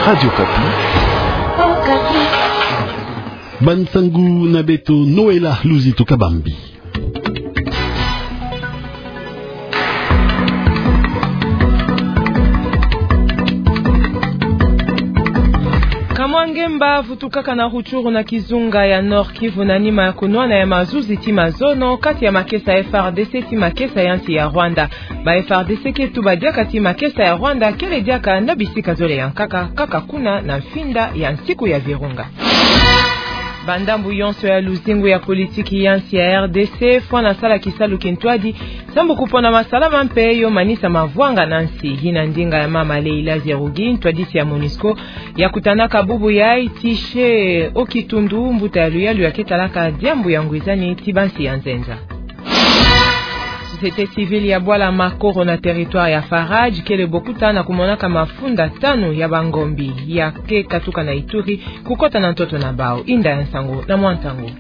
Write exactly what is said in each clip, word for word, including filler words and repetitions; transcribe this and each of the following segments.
Radio Okapi. Bansangu na beto Noëlla Luzitu Kabambi. Kamwa ngemba vutukaka na Rutshuru na kizunga ya Nord-Kivu na nima ya kunwana ya mazuzi ti mazono kati ya makesa ya F R D C ti makesa ya nsi ya Rwanda. Ba F R D C ke tuba diaka ti makesa ya Rwanda kele diaka na bisika zole ya nkaka, kaka kuna na mfinda ya nsiku ya Virunga. Bandambu yonso ya luzingu ya politiki ya nsi ya R D C fwana sala kisalu kintwadi sambu kupona masalama mpe yo manisa mavwanga na nsi. Yina ndinga ya mama Leila Zerrougui, ntwadisi ya MONUSCO, ya kutanaka bubu yayi ti se Okitundu, mbuta ya luyalu ya ke talaka diambu ya ngwizani ti bansi ya nzenza. Société civile ya bwala Makoro na territoire ya Faradje kele bokuta na kumonaka mafunda tanu ya bangombi ya ke katuka na Ituri kukota na ntoto na bawu. Inda ya nsangu na mwa ntangu.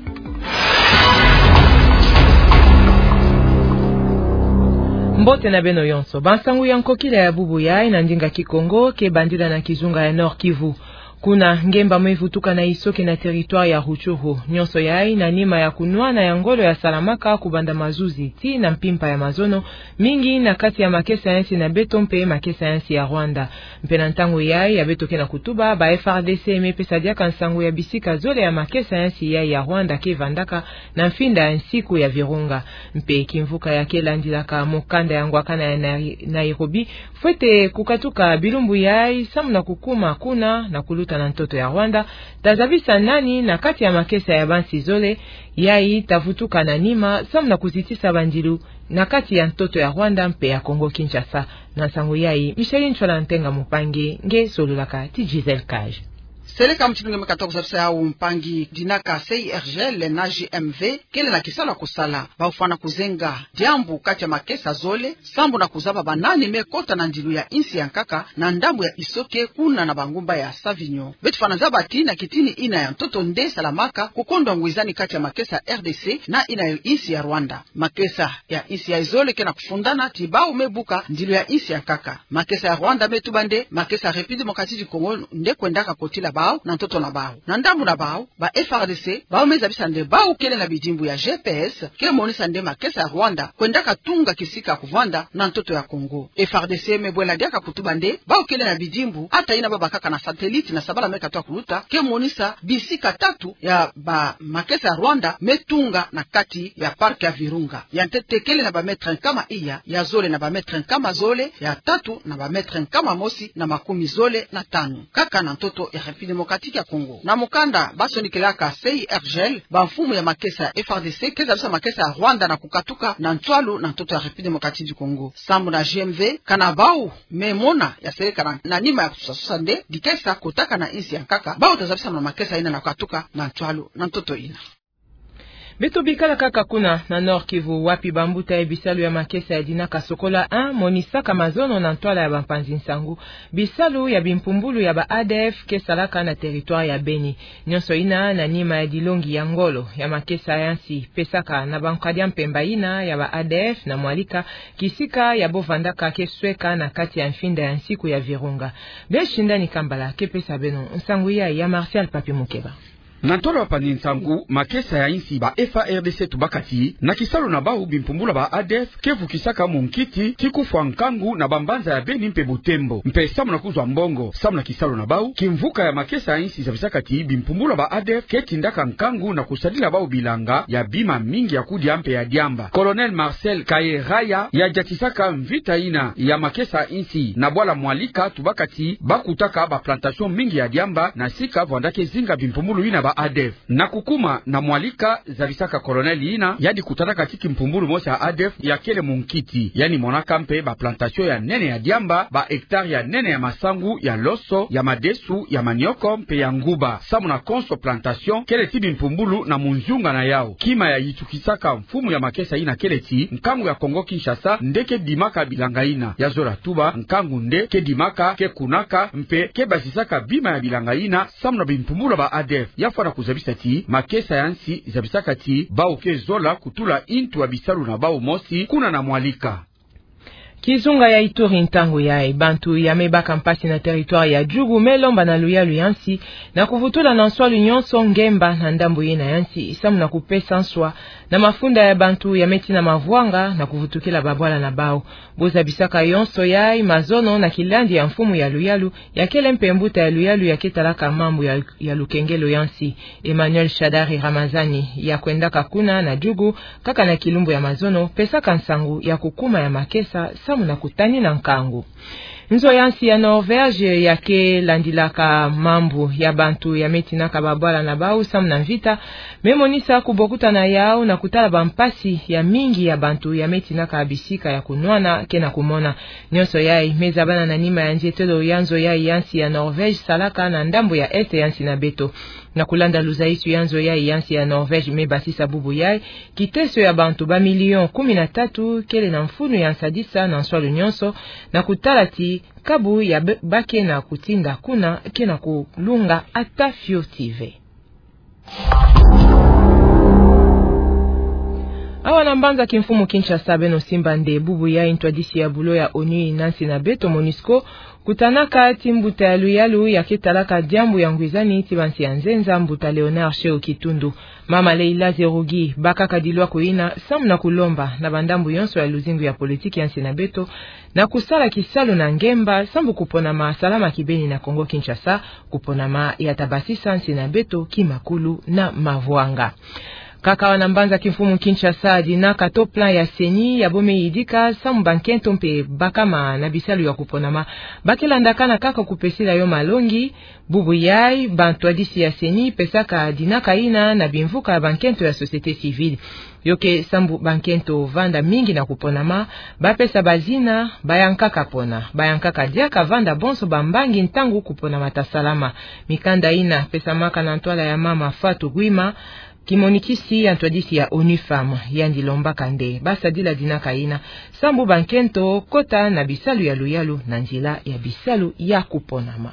Mbote na beno yonso. Bansangu ya nkokila ya bubu yayi na ndinga Kikongo ke bandila na kizunga ya Nord-Kivu. Kuna ngemba me vutuka na Issoke na territoire ya Rutshuru. Nyonso yayi na nima ya kunwana ya ngolo ya salamaka kubanda mazuzi ti na mpimpa ya mazono, mingi na kati ya makesa ya nsi na beto mpe makesa ya nsi ya Rwanda. Mpe na ntangu yayi ya beto ke na kutuba, ba F R D C me pesa diaka nsangu ya bisika zole ya makesa ya nsi yayi ya Rwanda ke vandaka na mfinda ya nsiku ya Virunga. Mpe kimvuka ya ke landilaka mokanda ya ngwakana ya Nai-, Nairobi, fwete kukatuka bilumbu yayi samu na kukuma kuna na kuluta na ntoto ya Rwanda, ta zabisa nani na kati ya makesa ya bansi zole yayi ta vutuka na nima samu na kuzitisa bandilu na kati ya ntoto ya Rwanda mpe ya Congo Kinshasa. Na nsangu yayi, Micheline Ntsoila Ntenga Mupangi nge solulaka ti Gisèle Cage. Seleka mutindu nge me katuka zabisa yawu, mpangi, dinaka C I R G L na G M V kele na kisalu ya kusala. Bawu fwana kuzenga diambu kati ya makesa zole sambu na kuzaba banani me kota na ndilu ya nsi ya nkaka na ndambu ya Issoke kuna na bangumba ya Savinho. Beto fwana zaba ti na kitini yina ya ntoto nde salamaka kukondwa ngwizani kati ya makesa R D C na yina ya nsi ya Rwanda. Makesa ya nsi ya zole ke na kufundana ti bawu me buka ndilu ya nsi ya nkaka. Makesa ya Rwanda me tuba nde makesa République Démocratique du Congo nde kwendaka kotila bawu na ntoto na bawu. Na ndambu na bawu, ba F R D C, bawu me zabisa nde bawu kele na bidimbu ya G P S ke monisa nde makesa ya Rwanda kwendaka tunga kisika kuvanda na ntoto ya Congo. F R D C me bwela diaka kutuba nde bawu kele na bidimbu, ata yina babakaka na satellite na sabala me katuka kuluta, ke monisa bisika tatu ya ba makesa ya Rwanda me tunga na kati ya parc ya Virunga. Ya ntete kele na ba mètre nkama iya, ya zole na ba mètre nkama zole, ya tatu na ba mètre nkama mosi na makumi zole na tanu, kaka na ntoto ya République Démocratique ya Congo. Na mukanda ba sonikelaka C I R G L, bamfumu ya makesa ya F R D C ke zabisa makesa ya Rwanda na kukatuka na ntwalu na ntoto ya République Démocratique du Congo. Sambu na G M V, kana bawu me mona ya seleka na, na nima ya kususasusa nde dikesa kotaka na nsi ya nkaka, bawu ta zabisa na makesa yina na kukatuka na ntwalu na ntoto yina. Beto bikala kaka kuna na Nord-Kivu, wapi bambuta ya bisalu ya makesa ya dinaka Sokola un monisaka mazono na ntwala ya bampanzi nsangu bisalu ya bimpumbulu ya ba A D F ke salaka na territoire ya Beni. Nyonso yina na nima ya dilongi ya ngolo ya makesa ya nsi pesaka na bankadi ya mpemba yina ya ba A D F na Mwalika, kisika ya bo vandaka ke sweka na kati ya mfinda ya nsiku ya Virunga. Blaise Shindani Kambala ke pesa beno nsangu yayi ya Martial Papi Mukeba. Na ntwala ya bampanzi nsangu, makesa ya nsi, ba F A R D C, tubaka ti na kisalu na bawu bimpumbulu ya ba A D F ke vukisaka munkiti ti kufwa nkangu na bambanza ya Beni mpe Butembo. Mpe samu na kuzwa mbongo, samu na kisalu na bawu, kimvuka ya makesa ya nsi zabisaka ti bimpumbulu ya ba A D F ke tindaka nkangu na kusadila bawu bilanga ya bima mingi ya kudia mpe ya diamba. Colonel Marcel Kayeraya yadiatisaka mvita yina ya makesa ya nsi na bwala Mwalika, tubaka ti ba kutaka ba plantation mingi ya diamba na sika vwanda ke zinga bimpumbulu yina ba A D F. Na kukuma na Mwalika, zabisaka colonel yina, yandi kutanaka ti kimpumbulu mosi ya A D F ya kele munkiti. Yandi monaka mpe ba plantation ya nene ya diamba, ba hectare ya nene ya masangu, ya loso, ya madesu, ya manioko mpe ya nguba. Samu na konso plantation kele ti bimpumbulu na munzunga na yawu. Kima ya yitukisaka mfumu ya makesa yina kele ti nkangu ya Congo Kinshasa nde ke dimaka bilanga yina. Ya zola tuba, nkangu nde ke dimaka, ke kunaka mpe ke basisaka bima ya bilanga yina samu na bimpumbulu ya ba A D F. Ya fwana kuzabisa ti makesa ya nsi zabisaka ti bawu ke zola kutula ntu ya bisalu na bawu mosi kuna na Mwalika. Kizunga ya Ituri, ntangu yayi, bantu ya mebaka mpasi na territoire ya Djugu me lomba na luyalu ya nsi na kuvutula na nswalu nyonso ngemba na ndambu yina ya nsi, samu na kupesa nswa na mafunda ya bantu ya metina mavwanga na kuvutukila babwala na bawu. Bo zabisaka yonso yayi mazono na kilandi ya mfumu ya luyalu, ya kele mpe mbuta ya luyalu ya ke talaka mambu ya, ya lukengelo ya nsi, Emmanuel Shadary Ramazani, ya kwendaka kuna na Djugu kaka na kilumbu ya mazono, pesaka nsangu ya kukuma ya makesa samu na kutanina nkangu. Nzo ya nsi ya Norvège ya ke landilaka mambu ya bantu ya metinaka babwala na bawu samu na mvita, me monisa kubokutana yawu na kutala bampasi ya mingi ya bantu ya metinaka bisika ya kunwana ke na kumona. Nyonso yayi me zabana na nima ya nzietelo ya nzo yayi ya nsi ya Norvège salaka na ndambu ya est ya nsi na beto. Na kulanda luzayisu ya nzo yayi ya nsi ya Norvège me basisa bubu yayi, kiteso ya bantu ba million kumi na tatu kele na mfunu ya nsadisa na nswalu nyonso, na kutala ti kabu ya be-, ba ke na kutinda kuna ke na kulunga ata fioti ve. Awa na mbanza kimfumu Kinshasa, beno simba nde bubu yayi ntwadisi ya bulo ya onu na nsi na beto, MONUSCO, kutanaka ti mbuta ya luyalu ya ke talaka diambu ya ngwizani ti bansi ya nzenza, mbuta Léonard Shehu Kitundu. Mama Leila Zerugi, bakaka dilwaku yina samu na kulomba na bandambu yonso ya luzingu ya politiki ya nsi na beto na kusala kisalu na ngemba, sambu kuponama salama kibeni na Kongo Kinshasa, kuponama ya ta basisa nsi na beto kimakulu na mavwanga. Kaka awa na mbanza kimfumu Kinshasa, dinaka to plan ya CENI ya bo me yidika samu bankento mpe bakama na bisalu ya kuponama ba ke landakana kaka kupesila yo malongi. Bubu yayi, bantwadisi ya CENI pesaka dinaka yina na bimvuka ya bankento ya société civile. Yo ke sambu bankento vanda mingi na kuponama, ba pesa bazina, ba yankaka pona, ba yankaka diaka vanda bonso bambangi ntangu kuponama ta salama. Mikanda yina pesamaka na ntwala ya mama Fatou Guima, kimonikisi ya ntwadisi ya ONU Femmes, yandi lombaka nde ba sadila dinaka yina sambu bankento kota na bisalu ya luyalu na nzila ya bisalu ya kuponama.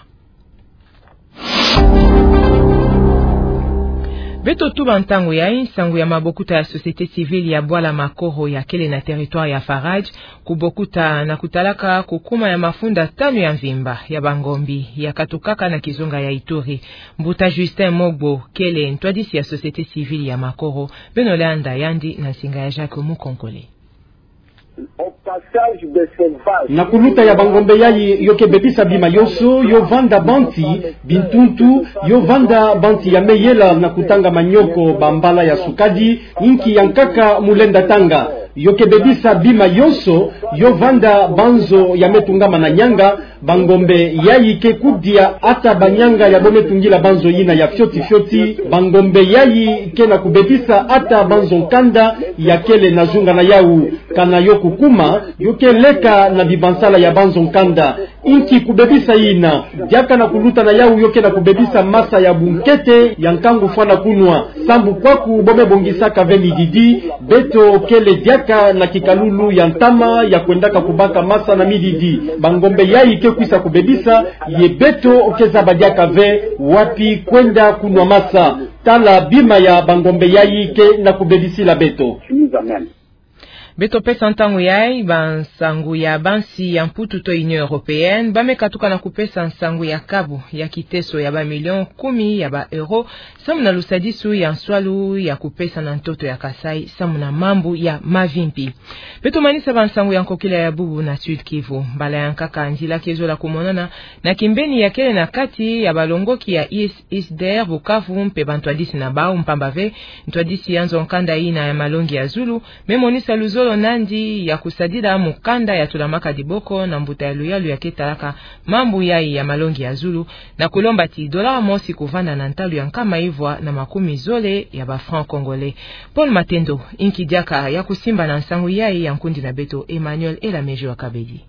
Beto tuba ntangu yayi, nsangu ya mabokuta ya société civile ya bwala Makoro ya kele na territoire ya Faradje, kubokuta na kutalaka kukuma ya mafunda tanu ya mvimba ya bangombe ya katukaka na kizunga ya Ituri. Mbuta Justin Mogbo kele ntwadisi ya société civile ya Makoro, beno landa yandi na nsinga ya Jacques Mukonkole. Na kuluta ya bangombe yayi, yo ke bebisa bima yonso, yo vanda banti, bintuntu, yo vanda banti ya me yela na kutanga manioko bambala ya sukadi, inki yankaka mu lenda tanga. Yo ke bebisa bima yonso, yo vanda banzo ya me tungama na nianga, bangombe yayi ke kudia ata banianga ya bo me tungila banzo yina ya fioti fioti. Bangombe yayi ke na kubebisa ata banzo nkanda ya kele na zunga na yawu. Kana yo kukuma, yo ke leka na bibansala ya banzo nkanda. Inki kubebisa yina? Diaka na kuluta na yawu yo ke na kubebisa masa ya bunkete ya nkangu fwana kunwa. Sambu kwaku bo me bongisaka ve mididi, beto kele diaka na kikalulu ya ntama ya kwendaka kubaka masa na mididi. Bangombe yayi ke kwisa kubebisa, ye beto ke zaba diaka ve wapi kwenda kunwa masa. Tala bima ya bangombe yayi ke na kubebisila beto. Beto pesa ntangu yayi bansangu ya bansi ya Mputu to Union Européenne, ba me katuka na kupesa nsangu ya kabu ya kiteso ya ba million kumi ya ba euro, samu na lusadisu ya nswalu ya kupesa na ntoto ya Kasaï, samu na mambu ya mavimpi. Beto manisa bansangu ya nkokila ya bubu na Sud-Kivu. Mbala yankaka nzila ke zola kumonana na kimbeni ya kele na kati ya balongoki ya IS, ISDR Bukavu mpe bantwadisi na bawu, mpamba ve ntwadisi ya nzo nkanda yina ya malongi ya zulu me monisa luzolo nandi ya kusadila mukanda ya tulamaka diboko na mbuta ya luyalu ya ke talaka mambu yayi ya malongi ya zulu, na kulomba ti dollar mosi kuvanda na ntalu ya nkama ivwa na makumi zole ya ba francs congolais. Paul Matendo, inki diaka ya kusimba na nsangu yayi ya nkundi na beto Emmanuel Elamejo Akabedi.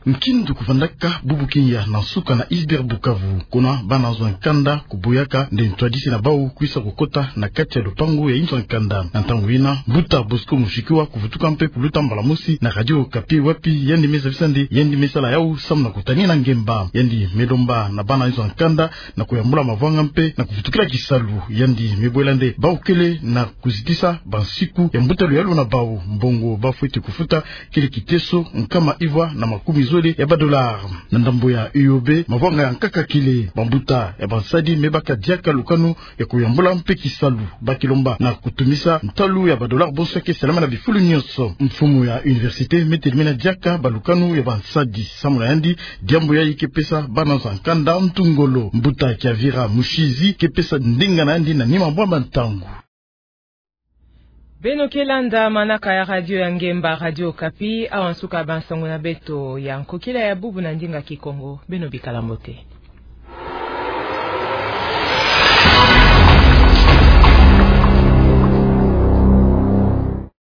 Nkindu kuvandaka bubu kinya na nsuka na iceberg Bukavu, kuna bana nzo ya nkanda kuboyaka nde ntwadisi na bau kwisa kukota na kati ya lupangu ya inzo ya nkanda. Na ntangu yina, mbuta Bosco Mushikiwa kuvutuka mpe kuluta mbala mosi na Radio Okapi, wapi yandi me zabisa nde yandi me sala yau samu na kutani na ngemba. Yandi me lomba na bana inzo ya nkanda na kuyambula mavwanga mpe na kuvutukila kisalu. Yandi me bwela nde bau kele na kuzitisa bansiku ya mbuta luyalu na bau, mbongo bafweti kufuta kele kiteso nkama ivwa na makumi zole ya ba dollars. Na ndambo ya U O B, mavwanga ya nkaka kele. Bambuta ya bansadi me baka diaka lukanu ya kuyambula mpe kisalu, ba kilomba na kutumisa ntalu ya ba dollars bonso ya ke salama na bifulu nyonso. Mfumu ya université me telemena diaka balukanu ya bansadi. Samu na yandi, diambu yayi ke pesa bana nzo ya nkanda ntu ngolo. Mbuta Kiavira Mushizi ke pesa ndinga na yandi na nima bwa bantangu. Beno ke landa manaka ya radio ya ngemba, Radio Okapi. Awa nsuka ya bansango na beto ya nkokila ya bubu na ndinga Kikongo. Beno bikala mbote.